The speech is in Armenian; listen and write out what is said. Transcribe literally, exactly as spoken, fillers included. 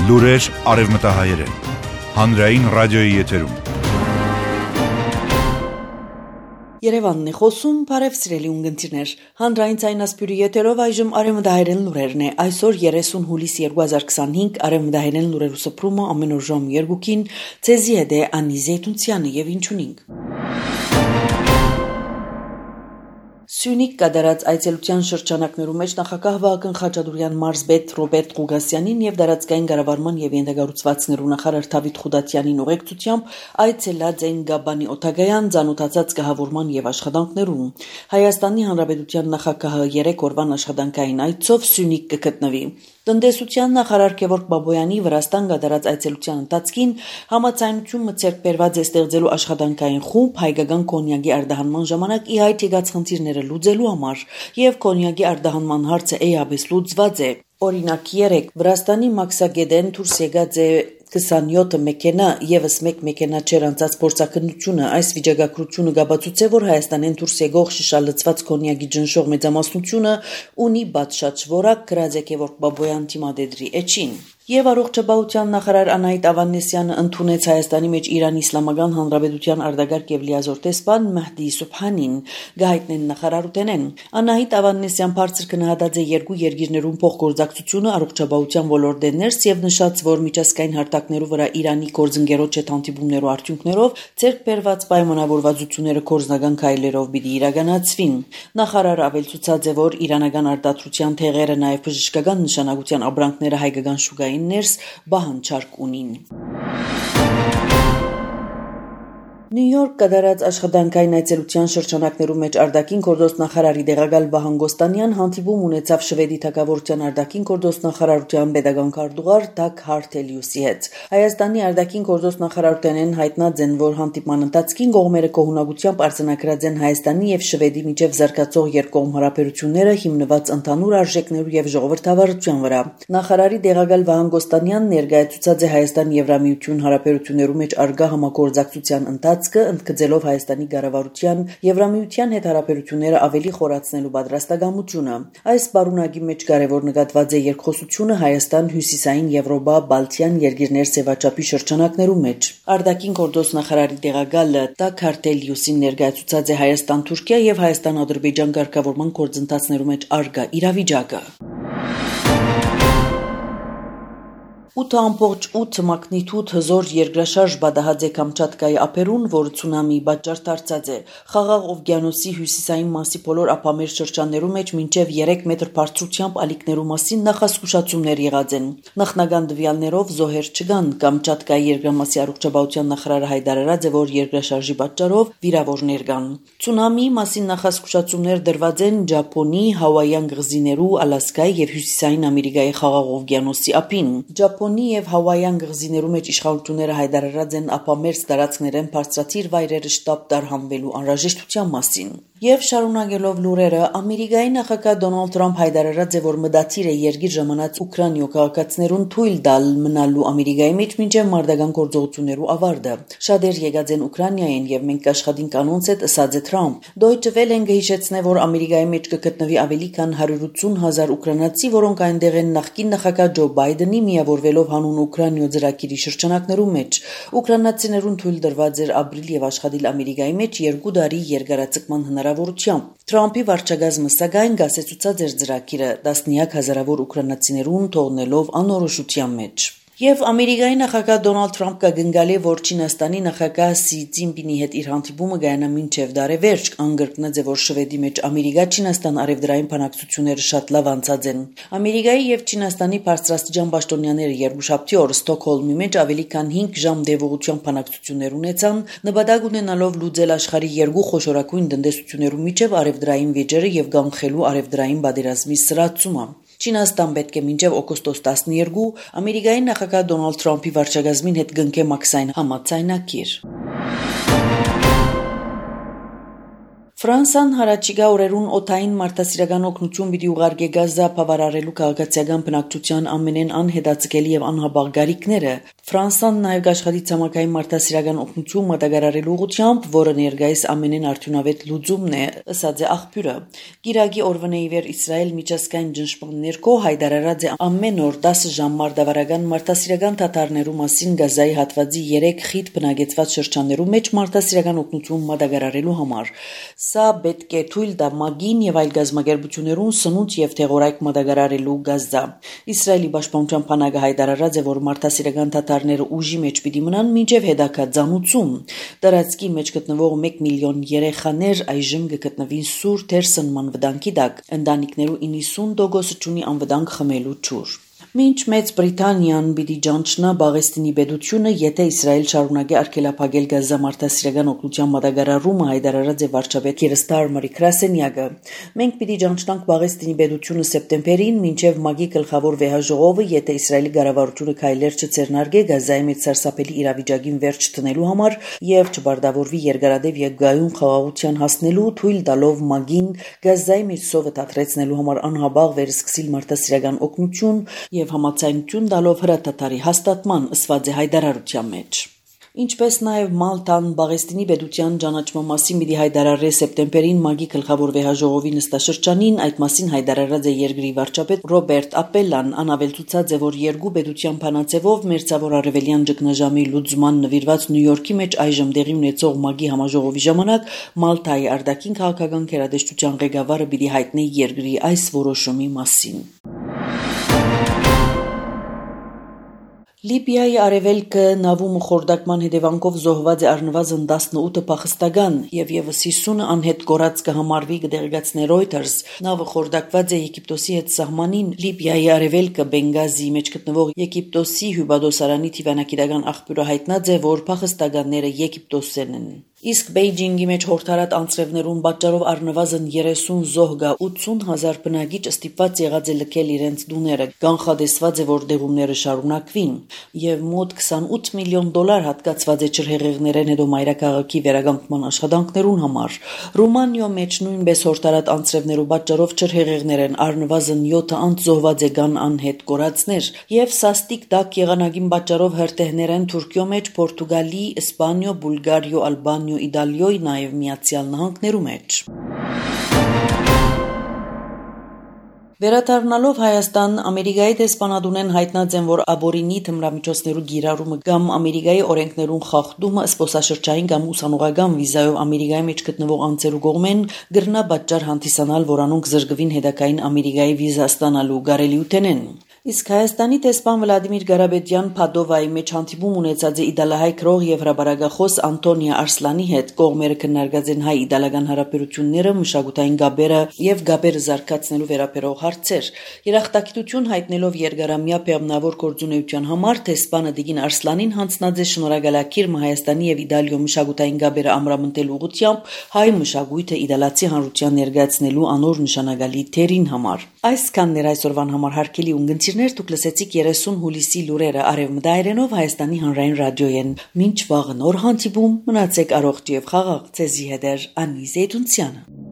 Լուրեր արևմտահայերեն, հանրային ռադիոյի եթերում։ Երևանն է խոսում, բարև սիրելի ունգընտիրներ, հանրային ցայնասպյուրի եթերով այժմ արևմտահայերեն լուրերն է, այսօր երեսուն հուլիս երկու հազար քսանհինգ արևմտահայերեն լուրերու սփռումը ամեն օր ժամ երկուքին, ցեզի հետ է Անի Զեյթունցյանը եւ ինչունինք։ Սյունիք կատարած այցելության շրջանակներու մեջ նախագահ Վահագն Խաչատուրյան մարզպետ Ռոբերտ Ղուգասյանին եւ դարածքային կառավարման եւ ենթակառուցվածքներու նախարար Դավիթ Խուդատյանին ուղեկցությամբ այցելած են Գաբանի օթագայան ծանոթացած կահավորման եւ աշխատանքներուն։ Հայաստանի Հանրապետության նախագահը երեք օրվան աշխատանքային այցով Սյունիք կգտնվի։ Տնտեսության նախարար Գևորգ Բաբոյանի Վրաստան կատարած այցելության ընթացքին համաձայնություն մտցերք բերված է ստեղծելու աշխատանքային խումբ հայկական կոնյակի արտահանման ժամանակ ի հայտ եկած խնդիրները լուծելու համար եւ կոնյակի արտահանման հարցը էապես լուծված է։ Օրինակ երեք Վրաստանի Մաքսագեդեն դուրս եկած է քսանյոթ մեքենա եւս մեկ մեքենա չերանցած փորձակնությունը այս վիճակագրությունը գաբացուց է որ Հայաստանեն դուրս եկող շշալցված կոնյակի ջնշող մեծամասնությունը ունի բացշաճ որակ գրած է Գևորգ Բաբոյան թիմադեդրի էջին Եվ առողջապահության նախարար Անահիտ Ավանեսյանը ընդունեց Հայաստանի մեջ Իրանի Իսլամական Հանրապետության արտագաղթ եւ լիազոր տեսփան Մեհդի Սուբհանին գահիտնեն նախարարութենեն Անահիտ Ավանեսյան բարձր գնահատած է երկու երկիրներուն փոխգործակցությունը առողջապահության ոլորտեն ներս եւ նշած որ միջազգային հարթակներու վրա Իրանի գործընկերոջ հետ հանդիպումներու արդյունքներով ցերկ բերված պայմանավորվածությունները կորզնական քայլերով պիտի իրականացվին Նախարարը ավելցուցած է որ իրանական արտադրության թեղերը նաեւ բժշկական նշանակության ապրանքները հայկական շուկայի ներս բահանջարկ ունին։ Նյու Յորք կատարած աշխատանքային այցելության շրջանակներու մեջ արտաքին գործոստ նախարարի դեղակալ Վահան Գոստանյան հանդիպում ունեցավ Շվեդի թագավորության արտաքին գործոստ նախարարության pedagogan քարտուղար Դագ Հարթելիուսի հետ։ Հայաստանի արտաքին գործոստ նախարարութենեն հայտնած են, որ հանդիպման ընթացքին կողմերը կողմնակությամբ արձանագրած են Հայաստանի եւ Շվեդի միջև զարգացող երկկողմ հարաբերությունները հիմնված ընդհանուր արժեքներու եւ ժողովրդավարության վրա։ Նախարարի դեղակալ Վահան Գոստանյանն ներկայացուցած է Հայաստան Եվրամիություն հարաբերություններու մեջ արգա համագործակցության ընթացք ընդգծելով Հայաստանի կառավարության Եվրամիության հետ հարաբերությունները ավելի խորացնելու պատրաստակամությունը։ Այս բարունակի մեջ կարևոր նկատված է երկխոսությունը Հայաստան, Հյուսիսային Եվրոպա, Բալթյան երկիրներ սեվաճապի շրջանակներու մեջ։ Արտաքին գործոստ նախարարի դեղակալը Դագ Հարթելիուսին ներկայացուցած է Հայաստան-Թուրքիա եւ Հայաստան-Ադրբեջան կարգավորման գործընթացներու մեջ արգա իրավիճակը։ ութ ամբողջ ութ մագնիտուդ հզոր երկրաշարժ բադահած է Կամչատկայի ափերուն, որ ցունամի պատճառ դարձած է։ Խաղաղ օվկիանոսի հյուսիսային մասի բոլոր ափամեր շրջաններու մեջ մինչև երեք մետր բարձրությամբ ալիքներու մասին նախազգուշացումներ եղած են։ Նախնական տվյալներով զոհեր չկան։ Կամչատկայի երկրամասի առողջապահության նախարարը հայտարարած է, որ երկրաշարժի պատճառով վիրավորներ կան։ Ցունամի մասին նախազգուշացումներ դրված են Ճապոնի, Հավայյան կղզիներու, Ալասկայի եւ Հյուսիսային Ամերիկայի խաղաղ օվկիանոսի ափին։ Ճապոնի եւ Հավայյան կղզիներու մեջ իշխանությունները հայտարարած են ափամերձ տարածքներեն բարձրացիր վայրերը շտապ տարհանվելու անհրաժեշտության մասին։ Եվ շարունակելով լուրերը, Ամերիկայի նախագահ Դոնալդ Թրամփ հայտարարած է, որ մտադիր է երկիր ժամանած Ուկրաինայո քաղաքացիներուն թույլ տալ մնալու Ամերիկայի մեջ մինչև մարտական գործողություններու ավարտը։ Շատեր եկած են Ուկրաինայեն եւ մենք աշխատենք անոնց հետ, ըսած է Թրամփ։ Դոյչե Վելեն գհիշեցնե, որ Ամերիկայի մեջ կգտնվի ավելի քան հարյուր ութսուն հազար ուկրաինացի, որոնք այնտեղ են նախկին նախագահ Ջո Բայդենի միավորվելով հանուն Ուկրաինայո ծրագիրի շրջանակներու մեջ։ Ուկրաինացիներուն թույլ տրված էր ապրիլ եւ աշխատել Ամերիկայի մեջ երկու տարի երկարաձգման հնարավորությամբ։ Թրամփի վարչակազմը սակայն գասեցուցած էր ծրագիրը տասնյակ հազարավոր ուկրաինացիներուն թողնելով անորոշության մեջ։ Եվ Ամերիկայի նախագահ Դոնալդ Թրամփ կգնգալի, որ Չինաստանի նախագահ Սի Ցինպինի հետ իր հանդիպումը կայանա մինչև դարեվերջ, անգրկնած է, որ Շվեդի մեջ Ամերիկա-Չինաստան արևդրային բանակցությունները շատ լավ անցած են։ Ամերիկայի եւ Չինաստանի բարձրաստիճան պաշտոնյաները երկուշաբթի օր Ստոկհոլմի մեջ ավելի քան հինգ ժամ դեպողության բանակցություններ ունեցան, նպատակ ունենալով լուծել աշխարհի երկու խոշորագույն տնտեսություններու միջև արևդրային վեճերը եւ կանխելու արևդրային պատերազմի սրացումը։ Չինաստան պետք է մինչև օգոստոս տասներկու Ամերիկայի նախագահ Դոնալդ Թրամփի վարչակազմին հետ կնքե մաքսային համաձայնագիր։ Ֆրանսան հարաճիգա օրերուն օթային մարդասիրական օգնություն պիտի ուղարկի Գազա բավարարելու քաղաքացիական բնակչության ամենեն անհետաձգելի եւ անհաբաղ գարիքները։ Ֆրանսան նաեւ աշխատի ցամաքային մարդասիրական օգնություն մատակարարելու ուղղությամբ, որը ներկայիս ամենեն արդյունավետ լուծումն է, ըսած է աղբյուրը։ Գիրագի օրվանե իվեր Իսրայել միջազգային ճնշման ներքո հայտարարած է ամեն օր դասը ժամ մարդավարական մարդասիրական թաթարներու մասին Գազայի հատվածի երեք խիտ բնակեցված շրջաններու մեջ մարդասիրական օգնություն մատակարարելու համար։ Սա պետք է թույլ տա ՄԱԳ-ին եւ այլ գազམ་ագերբություններուն սնունդ եւ թեղորայք մատակարարելու Գազա։ Իսրայելի պաշտպանության բանակը հայտարարած է, որ մարդասիրական թաթարները ուժի մեջ պիտի մնան մինչեւ հետագա ծանուցում։ Տարածքի մեջ գտնվող մեկ միլիոն երեխաներ այժմ կգտնվին սուր թերսնման վտանգի տակ։ Ընտանիքներու իննսուն տոկոսը ունի անվտանգ խմելու ջուր։ Մինչ Մեծ Բրիտանիան պիտի ճանչնա Բաղեստինի պետությունը, եթե Իսրայել շարունակի արգելափակել Գազա մարդասիրական օգնության մատակարարումը, հայտարարած է վարչապետ Քիր Ստարմերի Կրասենյակը։ Մենք պիտի ճանչնանք Բաղեստինի պետությունը սեպտեմբերին, մինչև ՄԱԳ-ի գլխավոր վեհաժողովը, եթե Իսրայելի կառավարությունը քայլեր չձեռնարկի Գազայի մեջ սարսափելի իրավիճակին վերջ դնելու համար եւ չբարդավորվի երկարատև եւ գայուն խաղաղության հասնելու, թույլ տալով ՄԱԳ-ին Գազայի մեջ սովը դադրեցնելու համար անհաբաղ վերսկսիլ մարդասիրական օգնություն եւ համաձայնություն տալով հրաթաթարի հաստատման, ըսված է հայտարարության մեջ։ Ինչպես նաև Մալտան Բաղեստինի պետության ճանաչման մասին պիտի հայտարարի սեպտեմբերին ՄԱԳ-ի գլխավոր վեհաժողովի նստաշրջանին, այդ մասին հայտարարած է երկրի վարչապետ Ռոբերտ Ապելան, անավելցուցած է, որ երկու պետության բանաձևով մերձավոր արևելյան ճգնաժամի լուծման նվիրված Նյու Յորքի մեջ այժմ տեղի ունեցող ՄԱԳ-ի համաժողովի ժամանակ Մալտայի արտաքին քաղաքական գերատեսչության ղեկավարը պիտի հայտնի երկրի այս որոշումի մասին։ Լիբիայի արևելքը նավում խորտակման հետևանքով զոհված է առնվազն տասնութ փախստական եւ եւս հիսունը անհետ կորած կհամարվի, կդեղեկացնի Reuters։ Նավը խորտակված է Եգիպտոսի հետ սահմանին Լիբիայի արևելքը Բենգազիի մեջ գտնվող Եգիպտոսի հյուպատոսարանի թիվանագիտական աղբյուրը հայտնած է, որ փախստականները եգիպտոսերն են։ Իսկ Բեյջինգի մեջ հորթարատ անձրևներուն պատճառով առնվազն երեսուն զոհ գա ութսուն հազար բնակիչ ստիպված եղած է լքել իրենց տուները։ Կանխատեսված է, որ դեղումները շարունակվին եւ մոտ քսանութ միլիոն դոլար հատկացված է ջրհեղեղներեն հետո մայրաքաղաքի վերականգնման աշխատանքներուն համար։ Ռումանիո մեջ նույնպես հորթարատ անձրևներու պատճառով ջրհեղեղներեն առնվազն յոթ անց զոհված է գան անհետ կորածներ եւ սաստիկ տաք եղանակին պատճառով հրթեհներեն Թուրքիո մեջ, Պորտուգալի, Իսպանիո, Բուլգարիո, Ալբանիո, Իտալիոյ, նաև Միացյալ Նահանգներու մեջ։ Վերադառնալով Հայաստան, Ամերիկայի դեսպանատունեն հայտնած են, որ աբորինի թմրամիջոցներու գիրառումը կամ Ամերիկայի օրենքներուն խախտումը սպոսաշրջային կամ ուսանողական վիզայով Ամերիկայի մեջ գտնվող անձերու կողմեն գրնա պատճառ հանդիսանալ, որ անոնք զրկվին հետագային Ամերիկայի վիզա ստանալու կարելիութենեն։ Իսկ Հայաստանի դեսպան Վլադիմիր Գարաբեդյան Փադովայի մեջ հանդիպում ունեցած է իդալահայ քրող եւ հրաբարագախոս Անտոնիա Արսլանի հետ, կողմերը քննարկած են հայ-իդալական հարաբերությունները, մշակութային գաբերը եւ գաբերը զարգացնելու վերաբերող հարցեր։ Երախտագիտություն հայտնելով երկարամյա բեղմնավոր գործունեության համար դեսպանը Դիգին Արսլանին հանձնած է շնորհակալակիր Հայաստանի եւ Իտալիո մշակութային գաբերը ամրապնդելու ուղղությամբ հայ մշակույթը իդալացի հանրության ներկայացնելու անոր նշանակալի թերին համար։ Այսքանն էր այսօրվան համար հարգելի ունգընտիրներ, դուք լսեցիք երեսուն հուլիսի լուրերը արևմտայերենով Հայաստանի հանրային ռադիոյեն։ Մինչ վաղը նոր հանդիպում, մնացեք առողջ եւ խաղաղ, ցեզի հետ Անի Զեյդունցյանը։